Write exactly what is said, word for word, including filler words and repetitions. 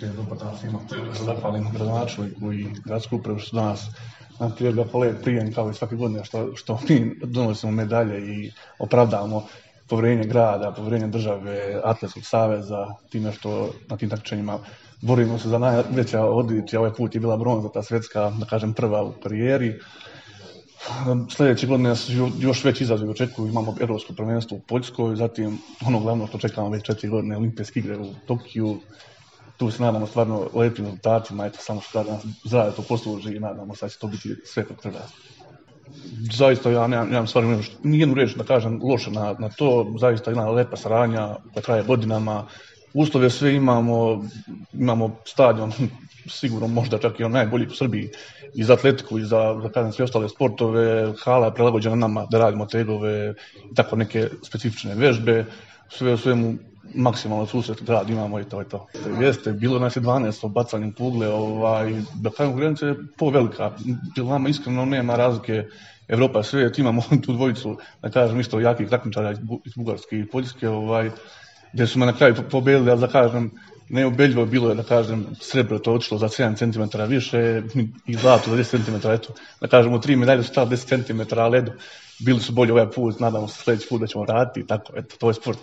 Dobar dan svima. Se zahvalim gradonačelniku i gradsku upravu što su danas nam prijedali prijem kao i svake godine što, što mi donosimo medalje i opravdamo poverenje grada, poverenje države, Atletskog saveza, time što na tim takmičenjima borimo se za najveća odličja. Ovaj put je bila bronza, ta svetska, da kažem, prva u karijeri. Sljedeće godine nas još veći izazovi očekuju, imamo evropsko prvenstvo u Poljskoj, zatim ono glavno što čekamo već četiri godine, olimpijske igre u Tokiju. Tu se nadamo stvarno lepim rezultatima, eto samo što nas zdravlje to posluži i nadamo se da će to biti sve kako treba. Zaista ja nemam, nemam stvarno nijednu riječ da kažem loše na, na to, zaista jedna lepa saradnja koja traje godinama, uslove sve imamo, imamo stadion, sigurno možda čak i on najbolji u Srbiji i za atletiku i za, za kažem, sve ostale sportove, hala je prilagođena nama da radimo tegove i tako neke specifične vežbe, sve u svemu maksimalno susret grad imamo i to je to. Jeste, bilo nas je dvanaest o bacanju kugle, ovaj, da kažem, konkurencija je povelika, nama iskreno nema razlike Evropa, svijet, imamo tu dvojicu, da kažem, isto jakih takmičara iz Bugarske i Poljske, ovaj, gdje su me na kraju pobedili, ali da kažem, neubedljivo bilo je, da kažem, srebro to otišlo za sedam centimetara više i zlato za deset centimetara, eto, da kažem, u tri medalje su stali deset centimetara, ali eto, bili su bolji ovaj put, nadamo se sljedeći put da ćemo raditi i tako, eto, to je sport.